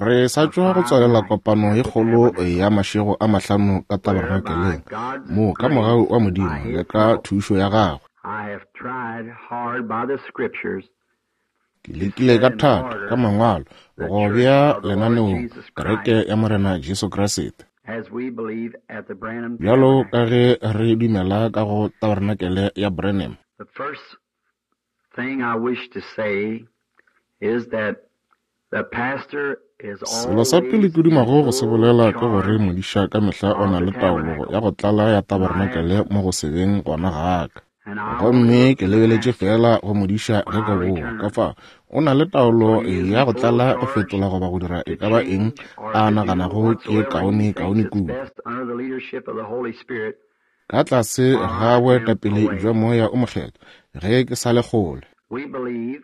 Re sa tšwa go tswalela kopano ye kgolo ya mašego a mahlano ka tabernakeleng, moo ka mogau wa Modimo le ka thušo ya gagwe, ke lekile ka thata ka Mangwalo go bea lenaneong Kereke ya Morena Jesu Kriste. Bjalo ka ge re dumela ka go Tabernacle ya Branham. Thing I wish to say is that the pastor is Selo sa pele always ke dumago in go se full bolela ke gore charge modiša ka mehla o of na the le taolo tabernacle. ya go tlala ya And I tabernacle mo go se beng gona ga ka. and I only Gomme look ke to the lebeletše pastor feela go modiša when ge I ke boa. Ka return. fao, o na le For taolo he is ya in go full tlala go charge fetola goba go dira to e ka ba eng change or a to do naganago ke ye whatsoever he kaone thinks kaone it's kudu. best under the leadership of the Holy Spirit Ka tlase while ga I am boetapele away. bja Moya o Mokgethwa, ge ke sa le kgole. We believe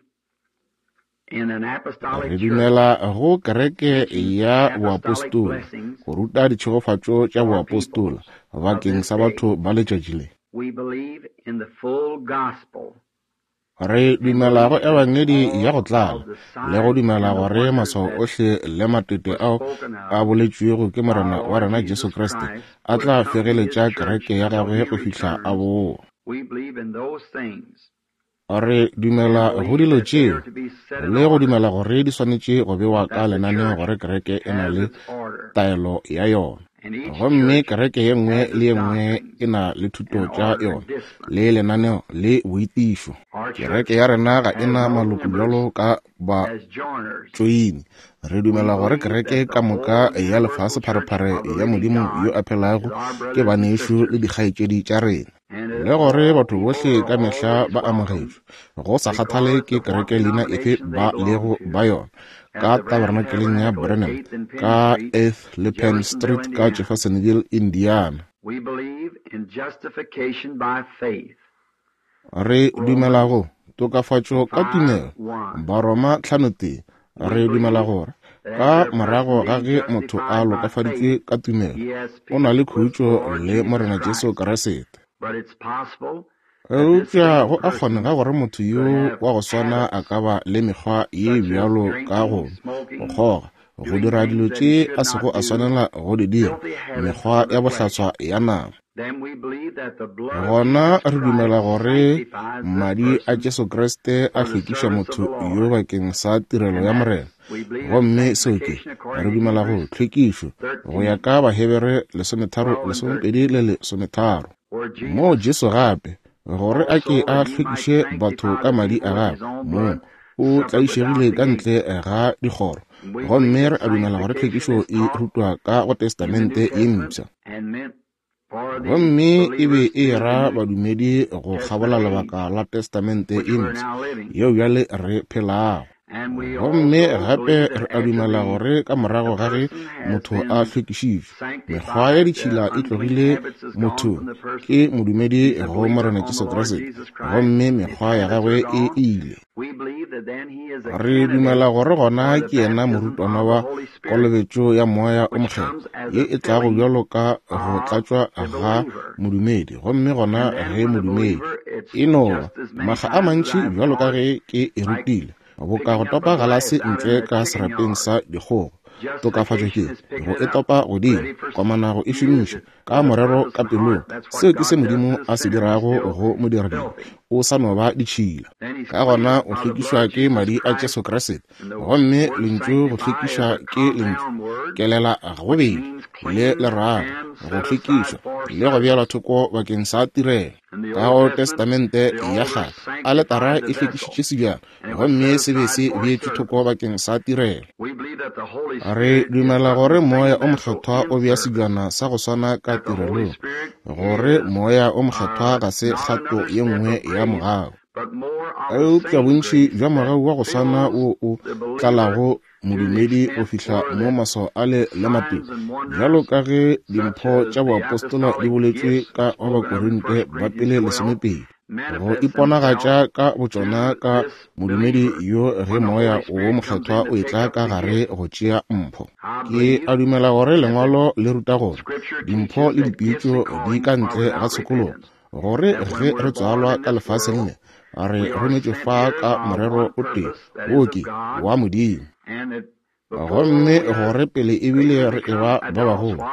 in an apostolic Re church dumela go kereke teaching ya apostolic boapostola, blessings go ruta ditšhegofatšo tša for boapostola people of bakeng this sa day. batho ba letšatši le. We believe in the full gospel Re and dumela go believe that Ebangedi ya go all tlala of the le go signs dumela and the gore wonders maswao that ohle le matete were ao spoken a of boletšwego ke by Morena our wa Lord rena Jesu Jesus Kriste Christ a would tla accompany his fegeletša church kereke ya until gagwe he go fihla a returns. boa. We believe in those things Re and dumela go believe dilo that they tšeo are to be set in le go order, dumela gore di swanetše go bewa ka that the lenaneo church gore kereke e na has le its order, taelo ya yona. and each Gomme church kereke ye nngwe has le its ye nngwe doctrines e na le thuto and tša order and yona, discipline. le lenaneo le boitišo. Our Kereke church ya rena ga e has na no maloko members bjalo ka ba as joiners. tšoini. Re We dumela gore believe kereke that the ka moka whole ya universal lefase church pharephare of the ya living Modimo yo God a is phelago our ke brothers and banešu le sisters, dikgaetšedi tša rena. and that Le gore all batho people bohle are ka mehla always ba welcome, amogetšwe, go sa kgathale regardless ke of what kereke leina efe denomination they ba belong lego to, ba yona, at ka the Branham Tabernakeleng ya Tabernacle at Branham, 8th and Penn ka Street, 8th le Penn Jeffersonville, Street ka Indiana. Jeffersonville, Indiana. We believe in justification by faith. Re dumela Romans go tokafatšo ka 5 tumelo, 1. Baroma 5:1. We Re dumela believe gore that ka after a person morago ga being ge motho a justified by lokafaditšwe faith, ka tumelo, he has o na peace le with the khutšo Lord le Jesus Morena Jesu Christ. Kriste. But it's possible that this Eupša same go a person kgonega gore motho could yo have wa go swana a habits ka ba le mekgwa ye such as bjalo ka go drinking, nwa, go smoking, kgoga, go doing dira dilo things that tše he a should sego not a do, swanela go di dira, filthy habits mekgwa of ya the flesh. bohlaswa ya nama. Then we believe that the blood of Gona Jesus re dumela Christ gore sanctifies this madi a person Jesu Kriste a for the hlwekiša service of motho the yo Lord. bakeng sa tirelo And ya that Morena. we believe in Gomme seo ke, sanctification re according to dumela go Hebrews tlhwekišo go ya 13, ka Bahebere 13, 12, and 13, 12 le 13. where Moo Jesus Jesu gape, gore a ke also, a that he might hlwekiše batho sanctify ka the madi a people with his gagwe own mong, blood, o suffered without tlaišegile the ka gate. ntle ga dikgoro. And we believe Gomme that re a dumela gore sanctification tlhwekišo is e taught rutwa ka go in the New Testamente ye Testament Mpsha. and meant for the Gomme e be believers e through the ra New badumedi go kgabola Testament age, lebaka la Testamente which ye we're Mpsha now living. yeo bjale re phelago. And we Gomme also gape believe that re a after dumela the gore ka morago the ga ge person has motho a been hlwekišitšwe, mekgwa ya sanctified, the ditšhila e unclean tlogile habits is gone mothong, from the person. ke modumedi He's a go believer Morena on the Jesu Lord Kriste, Jesus Christ. gomme His mekgwa ya habits gagwe are e gone. ile. We believe that then he is a Re candidate dumela gore gona for the ke yena baptism morutwana of the wa Holy Spirit, kolobetšo ya Moya o which Mokgethwa, comes as ye a e tlago filling bjalo ka go of tlatšwa the ga believer. modumedi, gomme gona And then ge when the modumedi believer, it's e no ba just as many makga a times as mantši I've bjalo ka taught it, ge ke e like rutile, boka go picking up a topa galase glass out in ntle the ka chicken serapeng yard. sa dikgogo. Tokafatšo ke Justification is picking go it e up, topa godimo, ready for komana go e use šomiša it ka with a morero purpose ka in pelong. heart. That's what Seo ke se God does Modimo to the a se sinner. He's dirago still go modiradibe, filthy. o sa no ba ditšhila. Then he's Ka gona cleansed o by the blood hlwekišwa of ke Jesus madi a Christ. Jesu Kriste. And the Gomme word lentšu go sanctify is hlwekiša a ke lentšu compound word, kelela which gobedi means le cleanse lerago, and go set aside hlwekišwa for le go beelwa service. thoko bakeng sa tirelo. In the Ka Old go Testament, Testamente the ya altar Kgale, aletara sanctified the e vessel, hlwekišitše sebjana, and it was gomme set se be aside se for beetšwe thoko service. bakeng sa tirelo. We believe that the Holy Re Spirit is dumela putting gore the Moya same o vessel Mokgethwa in o bea service, sebjana sa go swana ka that the Holy tirelong, Spirit gore is Moya o Mokgethwa ga se not kgato another ye step nngwe of ya grace, mogau, but more of the eupša same bontši grace bja that mogau wa go swana fills wo o the believer tlalago to the modumedi go extent fihla where mo that maswao ale le matete, signs and bjalo wonders ka ge such dimpho as tša the boapostola di apostolic boletšwe gifts ka go spoken of in Bakorinte 1 ba Corinthians pele 12 lesomepedi, go manifest iponagatša themselves ka botšona to ka this modumedi believer yo ge when the Moya Holy wo Spirit comes Mokgethwa in o to etla take up ka the gare gift. go tšea mpho. I Ke believe a dumela gore that the Lengwalo le ruta gore Scripture dimpho teaches le that gifts dipitšo and di callings ka are ntle ga without tshokologo, repentance, gore that ge when re we're born tswalwa in ka this lefaseng world, le, Re rometšwe fa ka morero o tee, wo ke wa Modimo. Gomme gore pele ebile re eba ba bagolo,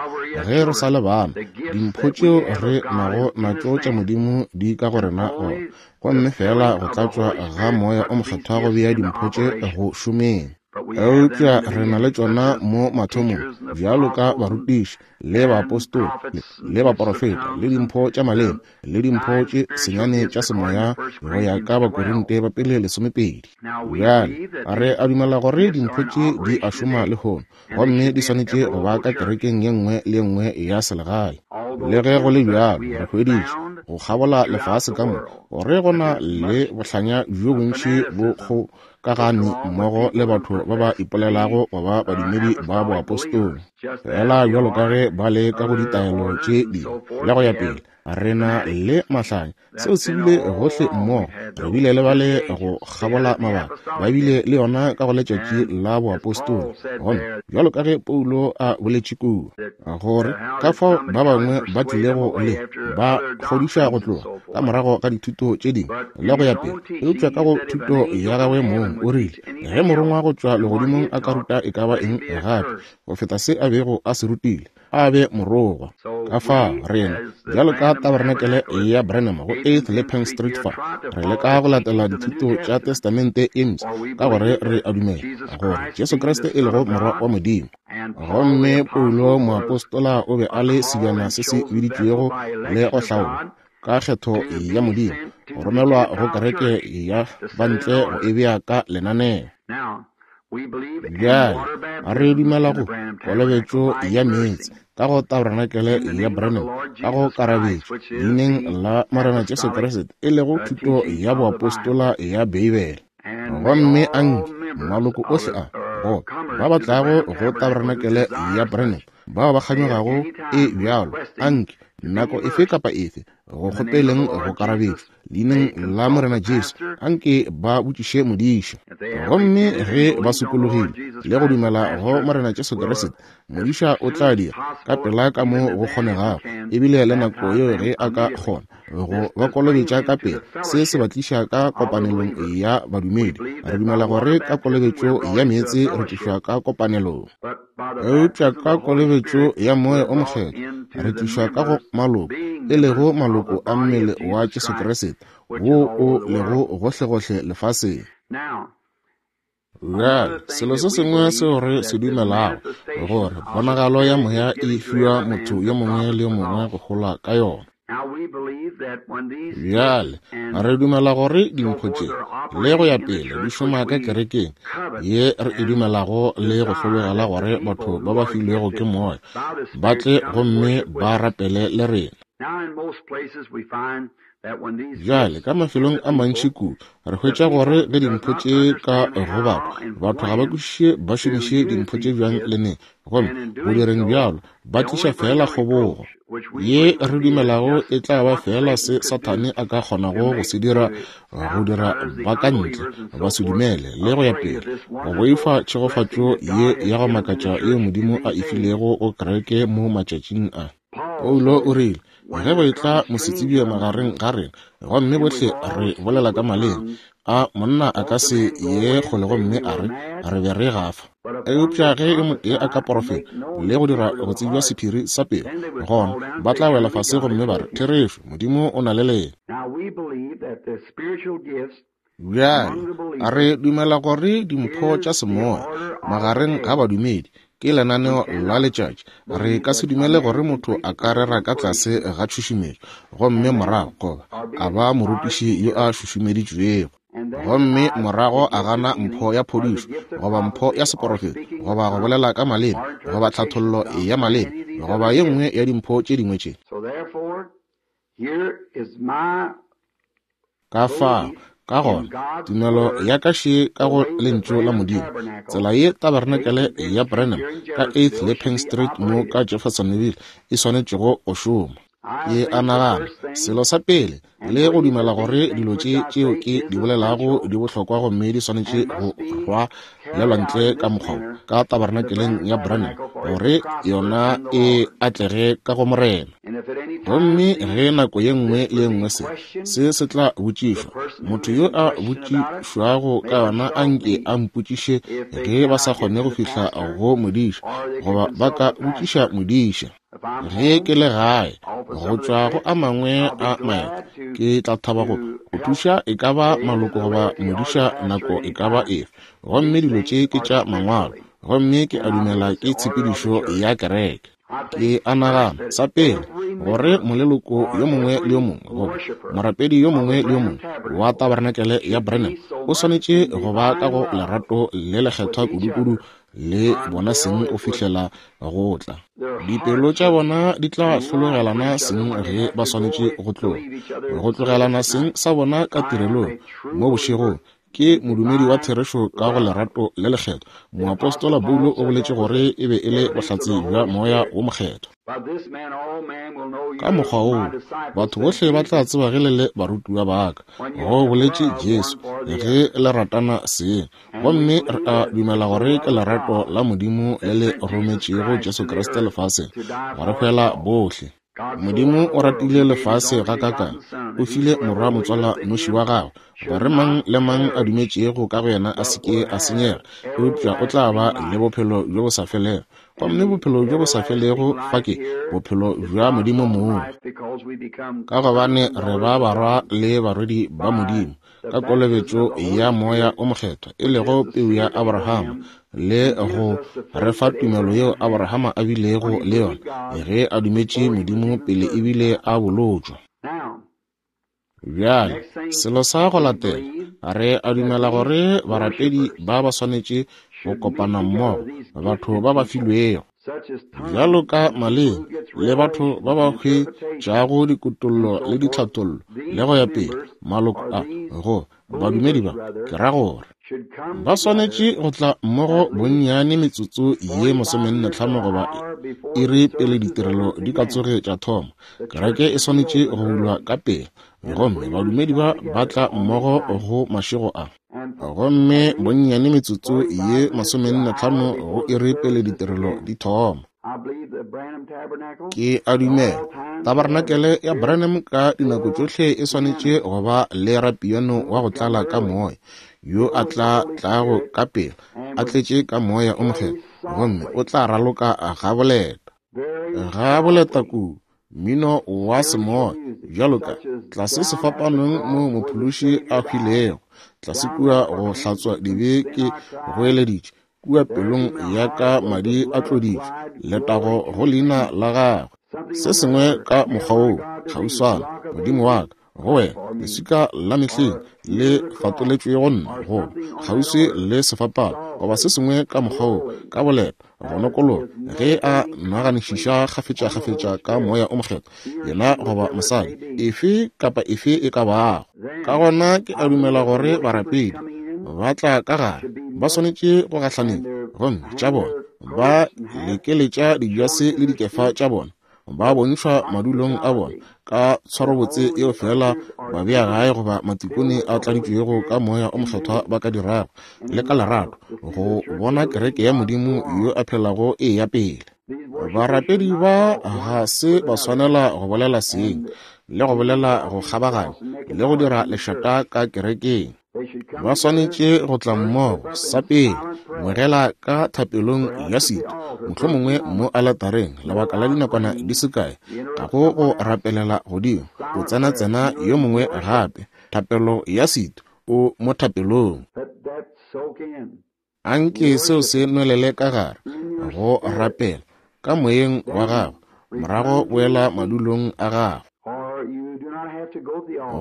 ge re sa le bana, dimpho tšeo re nago natšo tša Modimo di ka go rena gona, gomme feela go tlatšwa ga Moya o Mokgethwa go bea dimpho tše go šomeng. Eupša re na le tšona mo mathomong, bjalo ka barutiši, le baapostola, le baporofeta, le dimpho tša maleme, le dimpho tše senyane tša semoya, go ya ka Bakorinte ba pele 12. Bjale, re a dumela gore dimpho tše di a šoma lehono, gomme di swanetše go ba ka kerekeng ye nngwe le ye nngwe ya selegae. Le ge go le bjalo, re hweditše, go kgabola lefase ka moka, gore go na le bohlanya bjo bontši bo kgokagane mmogo le batho ba ba ipolelago go ba badumedi ba boapostola, feela bjalo ka ge ba le ka go ditaelo tše dingwe le go ya pele. Re na le mahlanya, seo se bile gohle mmogo. Re bile le bale go kgabola mabaka, ba bile le yona ka go letšatši la boapostola. Gomme bjalo ka ge Paulo a boletše kua, gore ka fao ba bangwe ba tlilego le ba kgodiša go tloga ka morago ga dithuto tše dingwe le go ya pele, eupša ka go thuto ya gagwe mong o rile, ge morongwa go tšwa legodimong a ka ruta e ka ba eng gape go feta se a bego a se rutile, a be morogwa. Ka fao rena, bjalo ka Tabarenakele ya Branham go 8th le Penn Street fa, re leka go latela dithuto tša Testamente e Mpsha, ka gore re a dumela gore Jesu Kriste e lego Morwa wa Modimo. Gomme Paulo moapostola o be a le sebjana se se biditšwego le go hlaolwa ka kgetho ya Modimo, go romelwa go kereke ya bantle go e bea ka lenaneo. Bjale re dumela go kolobetšo ya meetse ka go Tabarenakele ya Branham ka go karabetšo leineng la Morena Jesu Kriste, e lego thuto ya boapostola ya Beibele. Gomme anke maloko ohle a go ba ba tlago go Tabarenakele ya Branham, bao ba kganyogago e bjalo, anke nako efe kapa efe go kgopeleng go karabetšo leineng la Morena Jesu, anke ba botšiše modiša. Gomme ge ba sokologile le go dumela go Morena Jesu Kriste, modiša o tla dira ka pela ka mo go kgonegago, ebile le nako yeo ge a ka kgona go ba kolobetša ka pela. Se se ba tliša ka kopanelong ya badumedi. Re dumela gore ka kolobetšo ya meetse re tlišwa ka kopanelong, eupša ka kolobetšo ya Moya o Mokgethwa re tlišwa ka go maloko, e lego maloko a mmele wa Jesu Kriste wo o lego gohlegohle lefaseng. Bjale, selo se sengwe seo re se dumelago gore ponagalo ya moya e fiwa motho yo mongwe le yo mongwe go gola ka yona. Bjale, re dumela gore dimpho tše le go ya pele di šoma ka kerekeng ye re e dumelago le go hlologela gore batho ba ba filwego ke moya ba tle gomme ba rapele le rena. Bjale, ka mafelong a mantši kudu re hwetša gore ge dimpho tše ka go batho, batho ga ba kwešiše ba šomiše dimpho tše bjang le neng, gomme go direng bjalo ba tliša feela kgobogo ye re dumelago e tla ba feela se Sathane a ka kgonago go se dira, go dira ba ka ntle ba se dumele le go ya pele, go boifa tšhegofatšo ye ya go makatša yeo Modimo a e filego go kereke mo matšatšing a. Paulo o rile, ge go etla mosetsebje magareng ga rena, gomme bohle re bolela ka maleme, a monna a ka se ye kgole gomme a re, re be re gafa. Eupša ge yo motee a ka porofeta le go dira go tsebja sephiri sa pelo, gona ba tla wela fase gomme ba re, Therešo, Modimo o na le lena. Bjale, re dumela gore dimpho tša semoya magareng ga badumedi ke lenaneo la letšatši. Re ka se dumele gore motho a ka rera ka tlase ga tšhušumetšo gomme morago goba a ba morutiši yo a šušumeditšwego, gomme morago a gana mpho ya phodišo goba mpho ya seporofeto goba go bolela ka maleme goba tlhathollo ya maleme goba ye nngwe ya dimpho tše dingwe tše. Ka fao, ka gona, tumelo ya ka še ka go Lentšu la Modimo, tsela ye Tabarenakele ya Branham ka 8th le Penn Street mo ka Jeffersonville e swanetšego go šoma. Ke a nagana, selo sa pele, le go dumela gore dilo tše tšeo ke di bolelago di bohlokwa gomme di swanetše go rwalelwa ntle ka mokgwa wo, ka Tabarenakeleng ya Branham, gore yona e atlege ka go Morena. Gomme ge nako ye nngwe le ye nngwe se, se se tla botšišwa, motho yo a botšišwago ka yona a nke a mpotšiše ge ba sa kgone go fihla go modiša, goba ba ka botšiša modiša. Ge ke le gae, go tšwa go a mangwe a maeto, ke tla thaba go go thuša e ka ba maloko goba modiša nako e ka ba efe. Gomme dilo tše ke tša Mangwalo, gomme ke a dumela ke tshepedišo ya kereke. Ke a nagana, sa pele, gore moleloko yo mongwe le yo mongwe goba morapedi yo mongwe le yo mongwe wa Tabarenakele ya Branham o swanetše go ba ka go lerato le lekgethwa kudukudu le bona seng go fihlela go tla. Dipelo tša bona di tla hlologelana seng ge ba swanetše go tloga, go tlogelana seng sa bona ka tirelong mo bošegong. Ke modumedi wa therešo ka go lerato le lekgethwa. Moapostola Paulo o boletše gore e be e le bohlatse bja Moya wo Mokgethwa. Ka mokgwa woo, batho bohle ba tla tseba ge le le barutiwa ba ka, go boletše Jesu, ge le ratana seng. Gomme re a dumela gore ke lerato la Modimo le le rometšego Jesu Kriste lefaseng go re hwela bohle. Modimo o ratile lefase gakaakang, o file Morwa motswala noši wa gagwe, gore mang le mang a dumetšego ka go yena a se ke a senyega, eupša o tla ba le bophelo bjo bo sa felego. Gomme bophelo bjo bo sa felego fa ke bophelo bja Modimo mong, ka gobane re ba barwa le barwedi ba Modimo ka kolobetšo ya Moya o Mokgethwa, e lego peu ya Abrahama, le go re fa tumelo yeo Abrahama a bilego le yona ge a dumetše Modimo pele ebile a bolotšwa. Bjale, selo sa go latela, re a dumela gore barapedi ba ba swanetše go kopana mmogo, batho ba ba filwego bjalo ka maleme le batho ba ba hwetšago dikutollo le ditlhathollo le go ya pele, maloko a go badumedi ba, ke ra gore ba swanetše go tla mmogo bonnyane metsotso ye 45 goba iri pele ditirelo di ka tsoge tša thoma. Kereke e swanetše go bulwa ka pela, gomme badumedi ba ba tla mmogo go mašego a. Gomme bonnyane metsotso ye 45 go iri pele ditirelo di thoma. Ke a dumela Tabarenakele ya Branham ka dinako tšohle e swanetše go ba le rapiano wa go tlala ka moya, yo a tla tlago ka pela a tletše ka Moya o Mokgethwa, gomme o tla raloka gaboleta. Gaboleta kudu mmino wa semoya, bjalo ka tlase sefapanong mo Mophološi a hwilego, tlase kua go hlatswa dibe ke goeleditše, kua pelong ya ka madi a tloditšwe, letago go leina la gagwe. Se sengwe ka mokgwa woo, kgauswana, Modimo wa ka, go wena leswika la mehleng le fatoletšwe go nna, go kgauswi le sefapano, goba se sengwe ka mokgwa woo, ka boleta, go nokologa, ge a naganišiša kgafetšakgafetša ka Moya o Mokgethwa, yena goba mosadi, efe kapa efe e ka bago. Ka gona ke a dumela gore barapedi ba tla ka gare, ba swanetše go gahlanetša, gomme tša bona, ba lekeletša dijase le dikefa tša bona, ba bontšhwa madulong a bona ka tshwarobotse yeo fela babea gae goba matikone a tladitšwego ka Moya o Mokgethwa ba ka dirago, le ka lerato, go bona kereke ya Modimo yo a phelago e ya pele. Barapedi ba ga se ba swanela go bolela seng le go bolela go kgabaganya le go dira lešata ka kerekeng. Ba swanetše go tla mmogo sa pele ngwegela ka thapelong ya setu, mohlomongwe mo aletareng lebaka la dinakwana di se kae, ga go go rapelela godimo, o tsena-tsena yo mongwe gape, thapelo ya setu, o mo thapelong. Anke seo se nwelele ka gare, go rapela, ka moyeng wa gago, morago boela madulong a gago.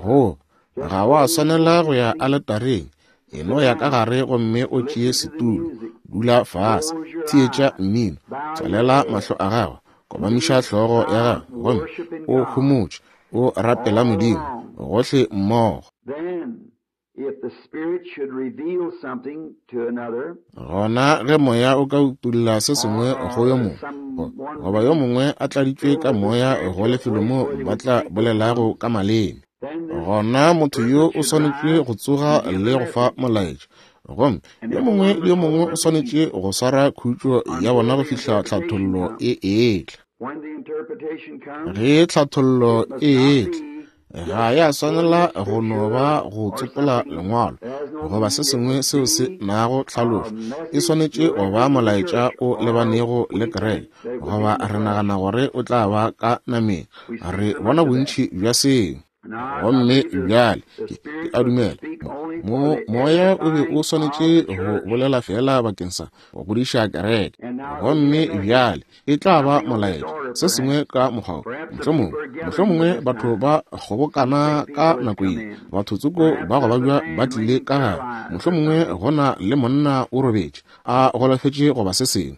Go, ga wa swanela go ya aletareng, e no ya ka gare gomme o tšee setulo, dula fase, theetša mmino, tswalela mahlo a gago, kobamiša hlogo ya gago, gomme o homotše, o rapela Modimo, gohle mmogo. Gona ge Moya o ka utolla se sengwe go yo mongwe, goba yo mongwe a tladitšwe ka Moya go lefelo mo ba tla bolelago ka maleme, gona motho yo o swanetše go tsoga le go fa molaetša. Gomme yo mongwe le yo mongwe o swanetše go swara khutšo ya bona go fihla tlhathollo e etla. Ge tlhathollo e etla, ga ya swanela go no ba go tsopola lengwalo goba se sengwe seo se nago tlhalošo. E swanetše go ba molaetša o lebanego le kereke, goba re nagana gore o tla ba ka nameng. Re bona bontši bja seo. Gomme bjale ke a dumela moya o be o swanetše go bolela fela bakeng sa go godiša kereke. Gomme bjale e tla ba molaetša se sengwe ka mokgwa wo. Mohlomongwe batho ba kgobokana ka nako ye, batho tsoko ba go babja ba tlile ka gare, mohlomongwe go na le monna o robetše a golofetše goba se sengwe,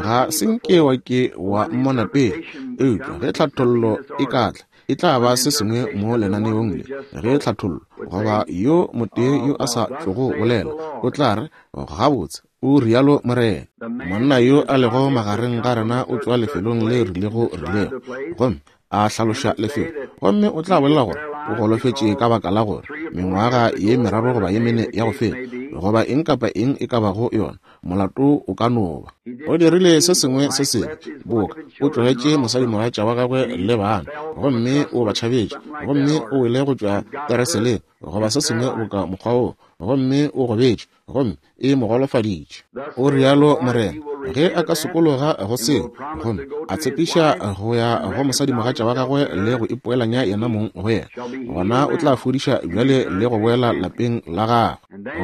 ga se nke wa ke wa mmona pele. Eupša ge tlhathollo e ka tla, e tla ba se sengwe mo lenaneong le. Ge tlhathollo goba yo motee yo a sa tlogo bolela, o tla re, gabotse, o rialo Morena. Monna yo a lego magareng ga rena o tšwa lefelong le rilego rilego, gomme a hlaloša lefelo, gomme o tla bolela gore o golofetše ka baka la gore mengwaga ye meraro goba ye mene ya go feta, goba eng kapa eng e ka bago yona, molato o ka no ba. O dirile se sengwe se sebe, boka o tlogetše mosadimogatša wa gagwe le bana, gomme o ba tšhabetše, gomme o wele go tšwa tereseleng goba se sengwe boka mokgwa wo, gomme o gobetše, gomme e mo golofaditše. O rialo Morena. Ge a ka sokologa go seo, gomme a tshepiša go ya go mosadimogatša wa gagwe le go ipoelanya yena mong go yena, gona o tla fodiša bjale le go boela lapeng la gagwe.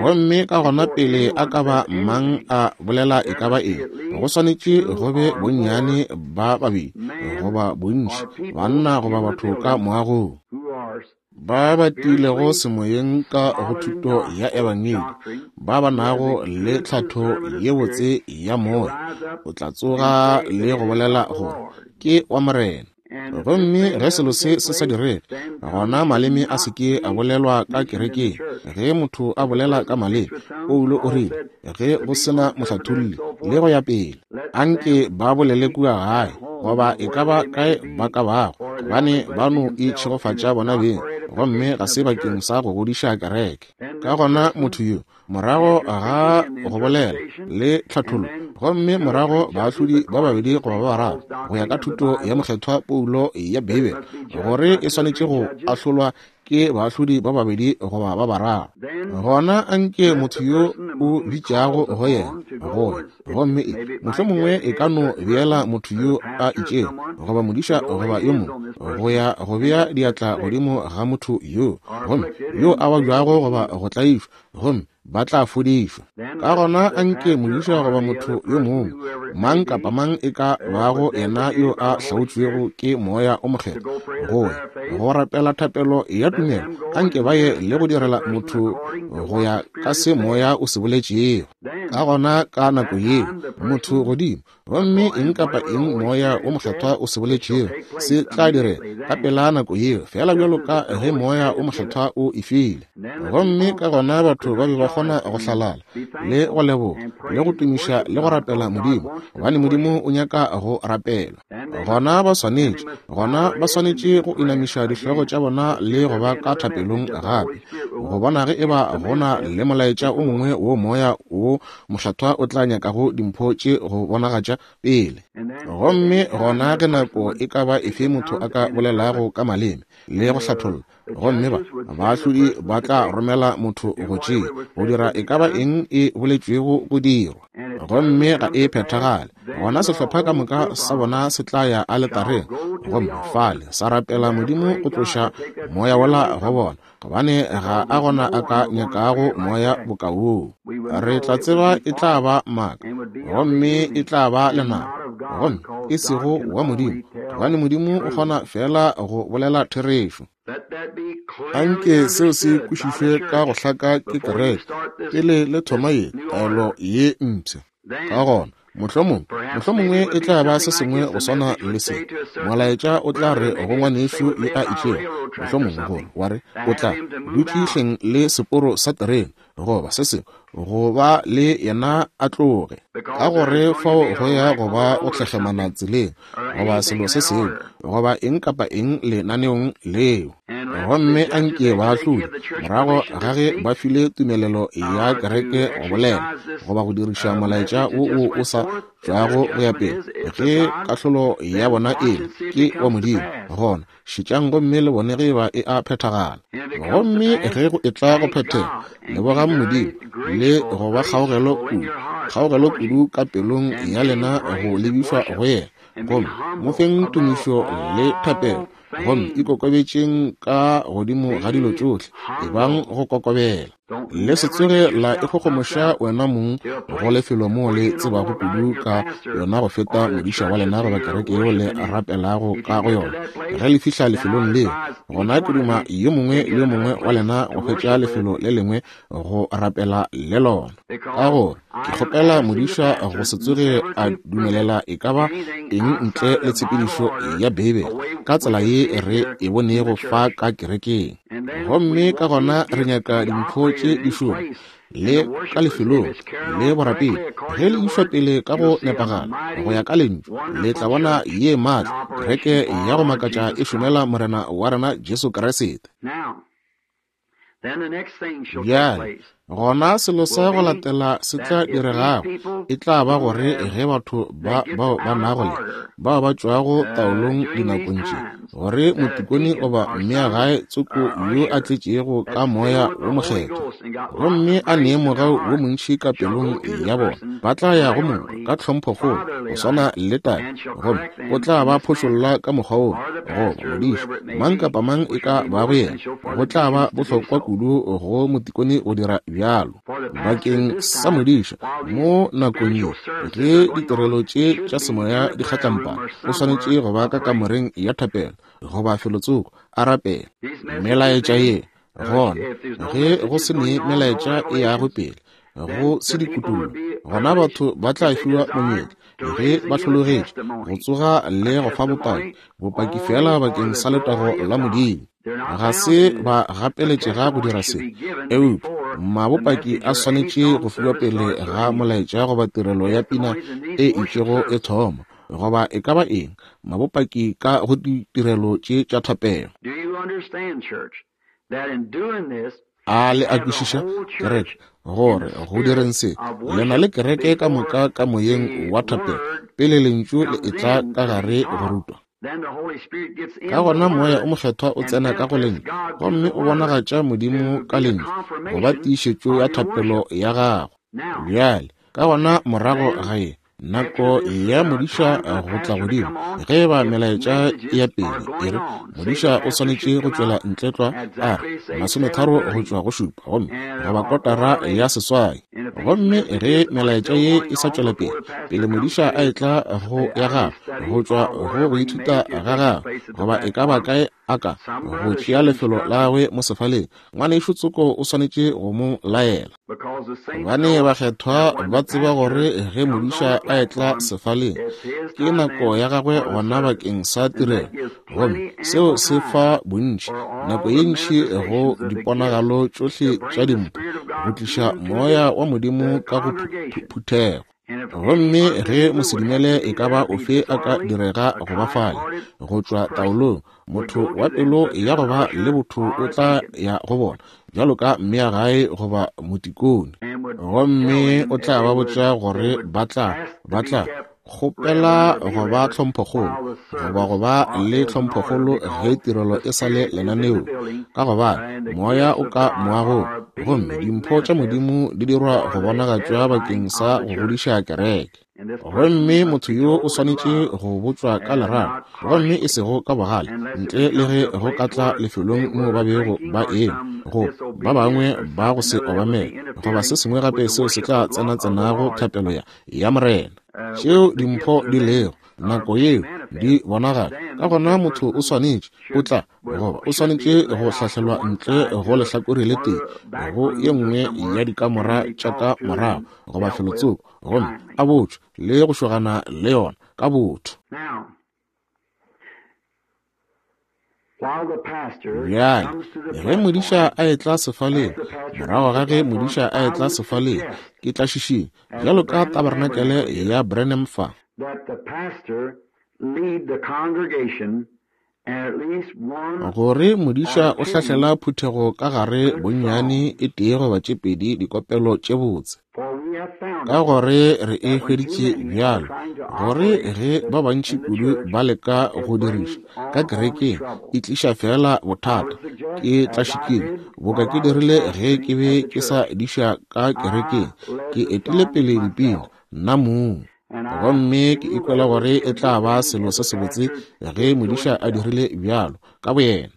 Gomme ka gona pele a ka ba mang a bolela e ka ba eng, go swanetše go be bonnyane ba babedi goba bontši, banna goba batho ka moagong, ba ba tiilego semoyeng ka go thuto ya ebangedi, ba ba nago le tlhatho ye botse ya moya, o tla tsoga le go bolela gore ke wa Morena. Gomme ge selo se se sa direge, gona maleme a se ke a bolelwa ka kerekeng. Ge motho a bolela ka maleme, Paulo o rile, ge go sena mohlatholli, le go ya pele, anke ba bolele kua gae goba e ka ba kae ba ka bago, gobane ba no itšhegofatša bona beng, gomme ga se bakeng sa go godiša kereke. Ka gona motho yo, morago ga go bolela le tlhathollo, gomme morago baahlodi ba babedi goba ba bararo, go ya ka thuto ya mokgethwa Paulo ya Beibele, gore e swanetše go ahlolwa ke baahlodi ba babedi goba ba bararo, gona anke motho yo o bitšago go yena go ya, gomme e mohlomongwe e ka no beela motho yo a itšego goba modiša goba yo mongwe go ya go bea diatla godimo ga motho yo, gomme yo a babjago goba go tlaišwa, gomme ba tla fodišwa. Ka gona anke modiša goba motho yo mongwe, mang kapa mang e ka bago yena yo a hlaotšwego ke Moya o Mokgethwa go ya go rapela thapelo ya tumelo, anke ba ye le go direla motho go ya ka se Moya o se boletšego. Ka gona ka nako yeo motho godimo, gomme eng kapa eng Moya o Mokgethwa o se boletšego se tla direga ka pela nako yeo, fela bjalo ka ge Moya o Mokgethwa o e file. Gomme ka gona batho ba be ba kgona go hlalala le go leboga le go tumiša le go rapela Modimo, gobane Modimo o nyaka go rapelwa. Gona ba swanetše go inamiša dihlogo tša bona le go ba ka thapelong gape, go bona ge eba go na le molaetša o mongwe wo Moya wo Mokgethwa o tla nyakago dimpho tše go bonagatša pele. Gomme gona ge nako e ka ba efe motho a ka bolelago ka maleme le go hlatholla, gomme ba baahlodi ba tla romela motho go tšea go dira e ka ba eng e boletšwego go dirwa, gomme ga e phethagale, gona sehlopha ka moka sa bona se tla ya aletareng gomme fale sa rapela Modimo go tloša moya wola go bona, gobane ga a gona a ka nyakago moya boka woo. Re tla tseba e tla ba maaka, gomme e tla ba lenaba, gomme e sego wa Modimo, gobane Modimo o kgona fela go bolela therešo. Anke seo se kwešišwe ka go hlaka ke kereke pele le thoma ye taelo ye mpsha. Ka gona mohlomongwe e tla ba se sengwe go swana le se. Molaetša o tla re go ngwanešu yo a itšego, mohlomongwe gore wa re o tla dutše hleng le seporo sa terene goba se sengwe, go ba le yena a tloge, ka gore fao go ya go ba go tlhekgemana tseleng goba selo se sengwe goba eng kapa eng lenaneong leo. Gomme a nke baahlodi, morago ga ge ba file tumelelo ya kereke go bolela, goba go diriša molaetša wo wo o sa tšwago go ya pele, ge kahlolo ya bona e le, ke wa Modimo, gona šetšang gomme le bone ge eba e a phethagala. Gomme ge go etla go phethega, lebogang Modimo le go ba kgaogelo kudu, kgaogelo kudu ka pelong ya lena go lebišwa go yena, gomme mo feng tumišo le thapelo, gomme ikokobetšeng ka godimo ga dilo tšohle, ebang go kokobela. Le se tsoge la ikgogomoša wena mong go lefelo moo le tsebago kudu ka yona go feta modiša wa lena goba kereke yeo le rapelago ka go yona. Ge le fihla lefelong leo, gona ke duma yo mongwe le yo mongwe wa lena go hwetša lefelo le lengwe go rapela le lona. Ka gore ke kgopela modiša go se tsoge a dumelela e ka ba eng ntle le tshepedišo ya Beibele ka tsela ye re e bonego fa ka kerekeng. Gomme ka gona re nyaka dimpho tše di šoma le ka lefelong le borapedi. Ge le išwa pele ka go nepagala go ya ka Lentšu, le tla bona ye maatla kereke ya go makatša e šomela Morena wa rena Jesu Kriste. Bjale, gona selo sa go latela se tla diregago e tla ba gore ge batho ba bao ba nago le bao ba tšwago taolong dinakong tše, gore motikone goba mmeagae tsoko yo a tletšego ka moya wo mokgethwa gomme a nee mogau wo montši ka pelong ya bona, ba tla ya go mongwe ka tlhomphokgolo go swana le tate, gomme o tla ba phošolla ka mokgwa wo, goba modiši, mang kapa mang e ka bago yena. Go tla ba bohlokwa kudu go motikone go dira bjalo. Bakeng sa modiša, mo nakong ye ge ditirelo tše tša semoya di kgatlampana, o swanetše go ba ka kamoreng ya thapelo goba felotsoko a rapela. Melaetša ye, gona, ge go se ne melaetša e yago pele, go se dikutullo, gona batho ba tla fiwa monyetla, ge ba hlologetše, go tsoga le go fa bopaki, bopaki feela bakeng sa letago la Modimo. Ga se ba gapeletšega go dira se, eupša mabopaki a swanetše go fiwa pele ga molaetša goba tirelo ya pina e itšego e thoma, goba e ka ba eng, mabopaki ka go ditirelo tše tša thapelo. A le a kwešiša, kereke, gore go direng se, le na le kereke ka moka ka moyeng wa thapelo pele Lentšu le etla ka gare go rutwa? Ka gona Moya o Mokgethwa o tsena ka go Lentšu gomme o bonagatša Modimo ka Lentšu go ba tiišetšo ya thapelo ya gago. Bjale, ka gona morago ga ye, nako ya modiša go tla godimo, ge e ba melaetša e ya pele, e re modiša o swanetše go tšwela ntle tlwa, a re 30 go tšwa go 7, gomme goba 7:45. Gomme ge melaetša ye e sa tšwela pele, pele modiša a etla go ya gagwe, go tšwa go go ithuta ga gagwe, goba e ka ba kae a ka go tšea lefelo la gagwe mo sefaleng, ngwanešu tsoko o swanetše go mo laela. Gobane bakgethwa ba tseba gore ge modiša a etla sefaleng, ke nako ya gagwe gona bakeng sa tirelo, gomme seo se fa bontši, nako ye ntši go diponagalo tšohle tša dimpho, go tliša Moya wa Modimo ka go phuthego. Gomme ge mosedumele e ka ba ofe a ka direga go ba fale, go tšwa taolong, motho wa pelo ya go ba le botho o tla ya go bona bjalo ka mmeagae goba motikone, gomme o tla ba botša gore ba tla, ba tla kgopela go ba tlhomphokgolo goba go ba le tlhomphokgolo ge tirelo e sa le lenaneong, ka gobane moya o ka moagong gomme dimpho tša Modimo di dirwa go bonagatšwa bakeng sa go godiša kereke. Gomme motho yo o swanetše go botšwa ka lerato, gomme e sego ka bogale, ntle le ge go ka tla lefelong moo ba bego ba eme, go ba bangwe ba go se obamele, goba se sengwe gape seo se tla tsenatsenago thapelo ya, ya Morena. Tšeo dimpho di lego, nako yeo di bonagala, ka gona motho o swanetše, o tla, goba o swanetše go hlahlelwa ntle go lehlakore le tee, go ye nngwe ya dikamora tša ka morago, goba felotsoko, gomme a botšwe le go šogana le yona ka botho. Bjale, ge modiša a etla sefaleng, morago ga ge modiša a etla sefaleng, ke tla šišinya, bjalo ka tabarenakele ya Branham fa. That the pastor lead the congregation. Gore modiša o hlahlela phuthego ka gare bonnyane e tee goba tše pedi dikopelo tše botse. Ka gore re e hweditše bjalo, gore ge ba bantši kudu ba leka go diriša ka kerekeng, e tliša feela bothata. Ke tlašikile, boka ke dirile ge ke be ke sa diša ka kerekeng, ke etile pele dipina, nna mong. Gomme ke ikwela gore e tla ba selo se sebotse ge modiša a dirile bjalo ka boyena.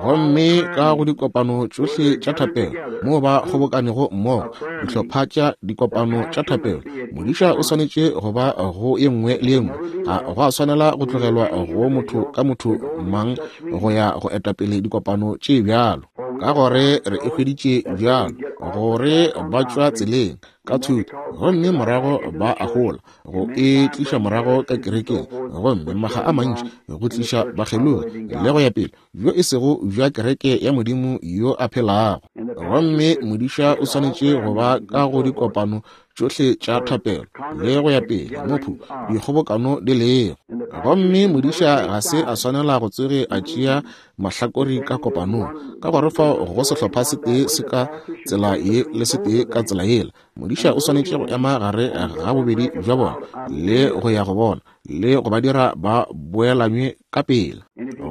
Gomme ka go dikopano tšohle tša thapelo moo ba kgobokanego mmogo, dihlopha tša dikopano tša thapelo, modiša o swanetše go ba go ye nngwe le ye nngwe. Ga go a swanela go tlogelwa go motho ka motho mang go ya go etapele dikopano tše bjalo, ka gore re e hweditše bjalo gore ba tšwa tseleng ka thuto, gomme morago ba a gola go e tliša morago ka kerekeng, gomme maga a mantši go tliša bakgelogi le go ya pele, bjo e sego bja kereke ya Modimo yo a phelago. Gomme modiša o swanetše go ba ka go dikopano tšohle tša thapelo le go ya pele mophu dikgobokano di lego. Gomme modiša ga se a swanela go tsoge a tšea mahlakori ka kopanong, ka gore fao go sehlopha se tee se ka tsela ye le se tee ka tsela yela. Modiša o swanetše go ema gare ga bobedi bja bona le go ya go bona le go ba dira ba boelanywe ka pela.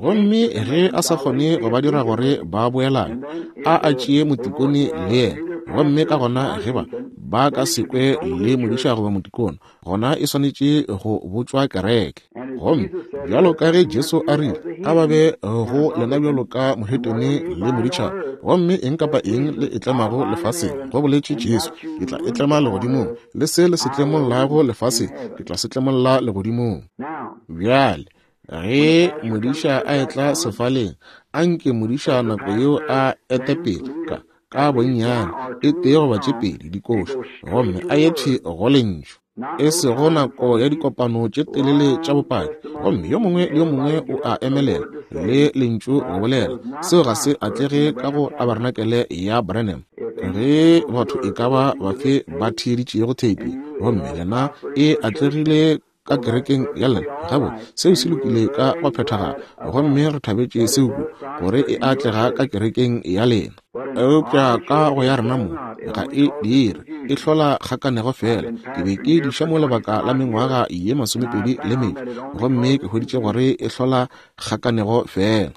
Gomme ge a sa kgone go ba dira gore ba boelanywe, a a tšee motikone le yena. Gomme ka gona ge ba ba ka se kwe le modiša goba motikone, gona e swanetše go botšwa kereke. Gomme bjalo ka ge Jesu a rile, a ba be go lena bjalo ka mohetene le moditšhaba, gomme eng kapa eng le e tlemago lefaseng, go boletše Jesu, ke tla e tlema legodimong, le se le se tlemollago lefaseng, ke tla se tlemolla legodimong. Bjale, ge modiša a etla sefaleng, a nke modiša nako yeo a ete pele ka ka bonnyane e tee goba tše pedi dikoša, gomme a ye thwi go lentšu, e sego nako ya dikopano tše telele tša bopaki, gomme yo mongwe le yo mongwe o a emelela le lentšu go bolela. Seo ga se atlege ka go tabarenakele ya Branham. Ge batho e ka ba bafe ba theeditšego theipi, gomme lena e atlegile ka kerekeng ya lena, gabotse seo se lokile ka go phethagala, gomme re thabetše seo kudu gore e atlega ka kerekeng ya lena. Eupša ka go ya rena mo ga e dire, e hlola kgakanego fela. Ke be ke diša mo lebaka la mengwaga ye 25 le metšo, gomme ke hweditše gore e hlola kgakanego fela.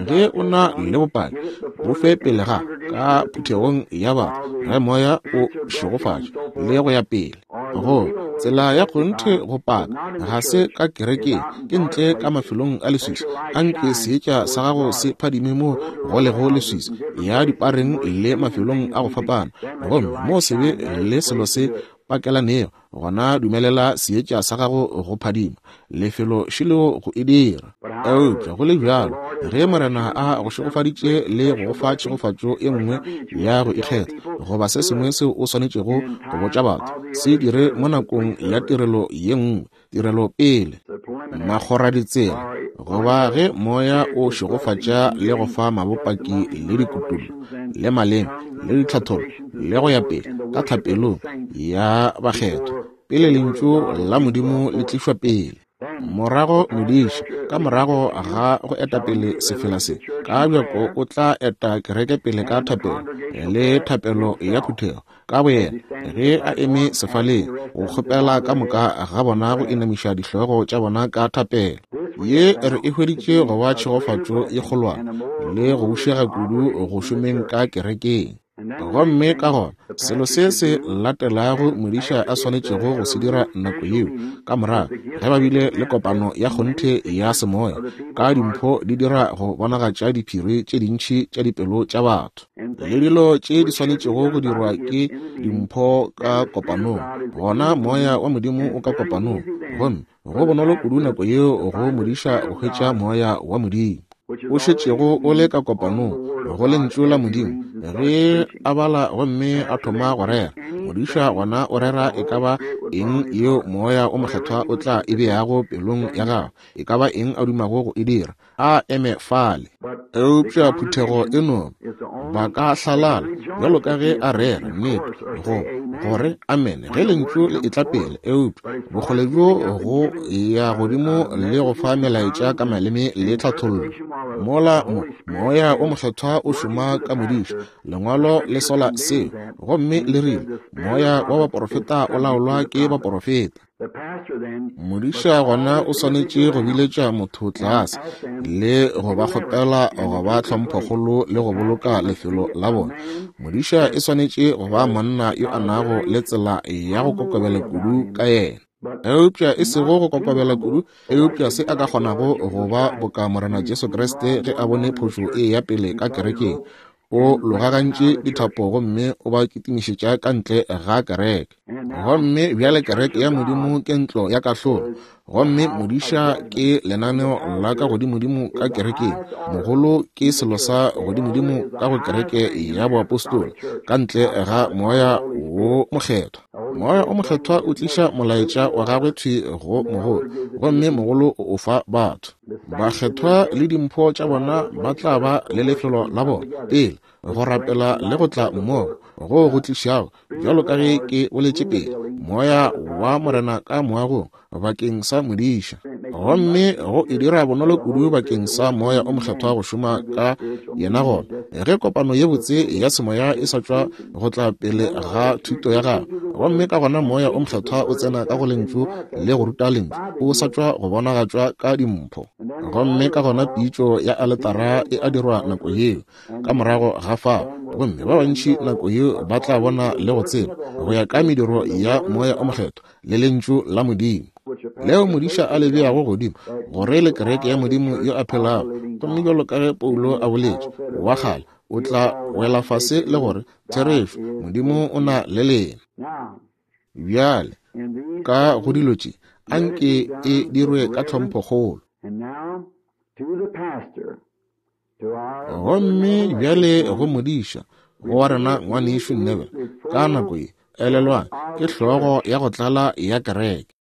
Ge o na le bopaki, bo fe pele ga ka phuthegong ya batho, ge moya o šegofatša le go ya pele. Go tsela ya kgonthe go paka ga se ka kerekeng, ke ntle ka mafelong a leswiswi. Anke seetša sa gago se phadime mo go lego leswiswi, ya dipareng le mafelong a go fapana, gomme mo sebe le selo se pakelanego, gona dumelela seetša sa gago go phadima lefelo šilego go e dira. Eupša go le bjalo, ge Morena a go šegofaditše le go go fa tšhegofatšo e nngwe ya go ikgetha goba se sengwe seo o swanetšego go botša batho, se dire mo nakong ya tirelo ye nngwe, tirelo pele, makgoraditsela, goba ge moya o šegofatša le go fa mabopaki le dikutullo le maleme le ditlhathollo le go ya pele ka thapelong ya bakgethwa, pele lentšu la Modimo le tlišwa pele. Morago modiši, ka morago ga go eta pele sefela se, ka bjako o tla eta kereke pele ka thapelo le thapelo ya phuthego ka boyena ge a eme sefaleng go kgopela ka moka ga bona go inamiša dihlogo tša bona ka thapelo. Ye re e hweditše go ba tšhegofatšo ye kgolwane le go bušega kudu go šomeng ka kerekeng. Gomme ka gona selo se se latelago modiša a swanetšego go se dira nako yeo ka morago ge ba bile le kopano ya kgonthe ya semoya ka dimpho di dira go bonagatša diphiri tše dintši tša dipelo tša batho le dilo tše di swanetšego go dirwa ke dimpho ka kopanong, gona moya wa Modimo o ka kopanong, gomme go bonolo kudu nako yeo go modiša go hwetša moya wa Modimo o šetšego o le ka kopanong go lentšu la Modimo. Ge a bala gomme a thoma go rera, modiša gona o rera e ka ba eng yeo moya o mokgethwa o tla e beago pelong ya gagwe, e ka ba eng a dumago go e dira, a eme fale. Eupša phuthego e no ba ka hlalala bjalo ka ge a rera, nnete, go, gore amene ge lentšu le etla pele, eupša bokgole bjo go ya godimo le go fa melaetša ka maleme le tlhathollo. Mola mo, Moya wo Mokgethwa o šoma ka modiša, Lengwalo le sola seo, gomme le rile, Moya wa baporofeta o laolwa ke baporofeta. Modiša gona o swanetše go biletša motho tlase le go ba kgopela go ba tlhomphokgolo le go boloka lefelo la bona. Modiša e swanetše go ba monna yo a nago le tsela ya go kokobela kudu ka yena. Eupša e sego go kokobela kudu, eupša se a ka kgonago go ba boka Morena Jesu Kriste ge a bone phošo e ya pele ka kerekeng. O logagantše dithapo gomme o ba kitimišetša ka ntle ga kereke. Gomme bjale kereke ya Modimo ke ntlo ya kahlolo, gomme modiša ke lenaneo la ka godimodimo ka kerekeng. Mogolo ke selo sa godimodimo ka go kereke ya boapostola, ka ntle ga Moya wo Mokgethwa. Moya o Mokgethwa o tliša molaetša wa gagwe thwi go mogolo, gomme mogolo o o fa batho. Bakgethwa le dimpho tša bona ba tla ba le lefelo la bona pele go rapela le go tla mmogo go go tlišago, bjalo ka ge ke boletše pele, Moya wa Morena ka moagong bakeng sa modiša, gomme go e dira bonolo kudu bakeng sa Moya o Mokgethwa go šoma ka yena. Gona ge kopano ye botse ya semoya e sa tšwa go tla pele ga thuto ya gagwe, gomme ka gona Moya o Mokgethwa o tsena ka go Lentšu le go ruta Lentšu, o sa tšwa go bonagatšwa ka dimpho. Gomme ka gona pitšo ya aletara e a dirwa nako yeo, ka morago ga fao, gomme ba bantši nako yeo ba tla bona le go tseba, go ya ka mediro ya Moya o Mokgethwa le Lentšu la Modimo, leo modiša a le beago godimo, gore le kereke ya Modimo yo a phelago. Gomme bjalo ka ge Paulo a boletše, wa kgale o tla wela fase le gore, Therešo, Modimo o na le lena. Bjale, ka go dilo tše, a nke e dirwe ka tlhomphokgolo. Gomme bjale go modiša, go wa rena ngwanešu Neville, ka nako ye, elelwang, ke hlogo ya go tlala ya kereke.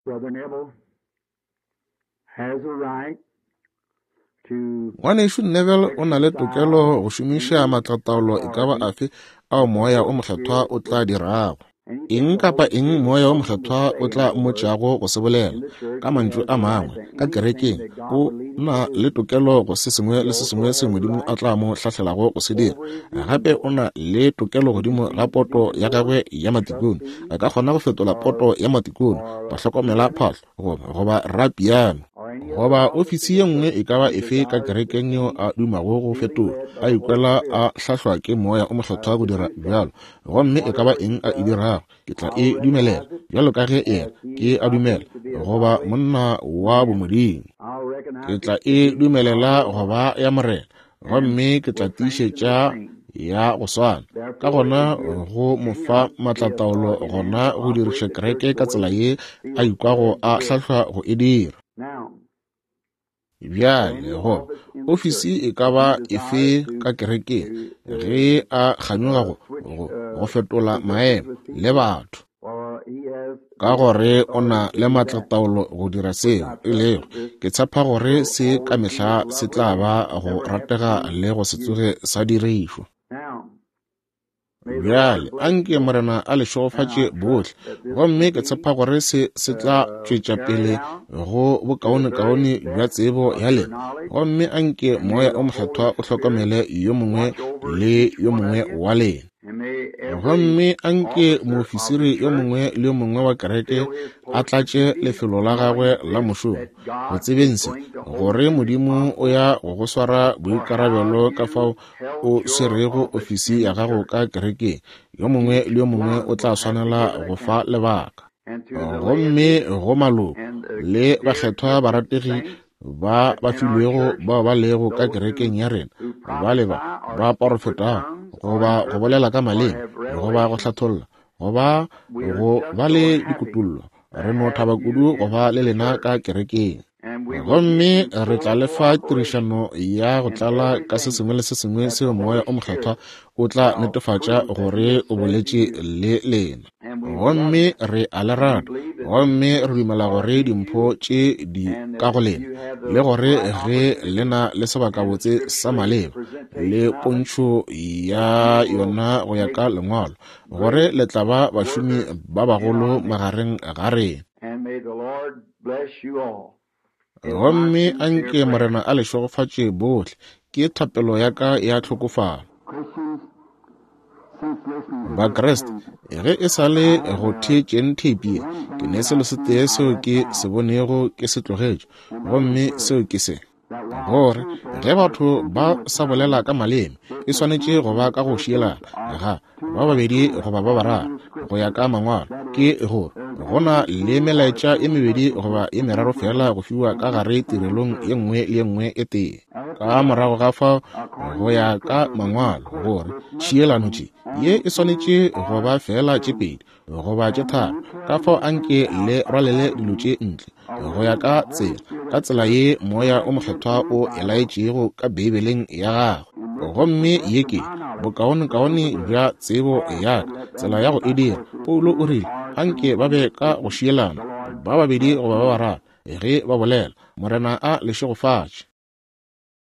Ngwanešu Neville o na le tokelo go šomiša maatlataolo e ka ba afe ao Moya wo Mokgethwa o tla dirago. Eng kapa eng Moya wo Mokgethwa o tla mmotšago go se bolela, ka mantšu a mangwe, ka kerekeng, o na le tokelo go se sengwe le se sengwe seo Modimo a tla mo hlahlelago go se dira. Gape o na le tokelo godimo ga poto ya gagwe ya matikone. A ka kgona go fetola poto ya matikone, bahlokomela phahlo, goba, goba rapiano, goba ofisi ye nngwe e ka ba efe ka kerekeng yeo a dumago go fetola, a ikwela a hlahlwa ke Moya o Mokgethwa go dira bjalo. Gomme e ka ba eng a e dirago, ke tla e dumelela, bjalo ka ge yena ke a dumela goba monna wa bomodimo. Ke tla e dumelela go ba ya Morena, gomme ke tla tiišetša ya go swana. Ka gona go mo fa maatlataolo gona go diriša kereke ka tsela ye a ikwago a hlahlwa go e dira. Bjale go ofisi e ka ba efe ka kerekeng ge a kganyoga go, go, go fetola maemo le batho, ka gore o na le maatlataolo go dira seo, e lego, ke tshepa gore se ka mehla se tla ba go ratega le go se tsoge sa dirišwa. Bjale, anke Morena a le šegofatše bohle, gomme ke tshepa gore se se tla tšwetša pele go bokaonekaone bja tsebo ya lena, gomme anke Moya o Mokgethwa o hlokomele yo mongwe le yo mongwe wa lena. Gomme anke moofisiri yo mongwe le yo mongwe wa kereke a tlatše lefelo la gagwe la mošomo, go tsebeng se, gore Modimo o ya go go swara boikarabelo ka fao o swerego ofisi ya gago ka kerekeng. Yo mongwe le yo mongwe o tla swanela go fa lebaka. Gomme go maloko le bakgethwa barategi ba ba filwego bao ba lego ka kerekeng ya rena, ba le ba ba porofetago, goba go bolela ka maleme, goba go hlatholla, goba go ba le dikutollo, re no thaba kudu go ba le lena ka kerekeng. Gomme re tla le fa tirišano ya go tlala ka se sengwe le se sengwe seo Moya o Mokgethwa o tla netefatša gore o boletše le lena. Gomme re a le rata. Gomme re dumela gore dimpho tše di ka go lena, le gore ge le na le sebakabotse sa maleba le pontšho ya yona go ya ka Lengwalo, gore le tla ba bašomi ba bagolo magareng ga rena. Gomme a nke Morena a le šegofatše bohle, ke thapelo ya ka ya tlhokofalo. Bakriste, ge e sa le go theetšeng theipi ye, ke ne selo se tee seo ke se bonego ke se tlogetše, gomme seo ke se. Gore ge batho ba sa bolela ka maleme, e swanetše go ba ka go šielana ga ba babedi goba ba bararo go ya ka mangwalo. Ke gore go na le melaetša e mebedi goba e meraro fela go fiwa ka gare tirelong ye nngwe le ye nngwe e tee. Ka morago ga fao go ya ka mangwalo gore tšhielano tše ye e swanetše go ba fela tše pedi goba tše tharo. Ka fao anke le rwalele dilo tše ntle go ya ka tsela, ka tsela ye Moya o Mokgethwa o e laetšego ka Beibeleng ya Gagwe. Gomme ye ke bokaonekaone bja tsebo ya ka, tsela ya go e dira. Paulo o rile, Anke ba be ka go šielana, ba babedi goba ba bararo, ge ba bolela. Morena a le šegofatše.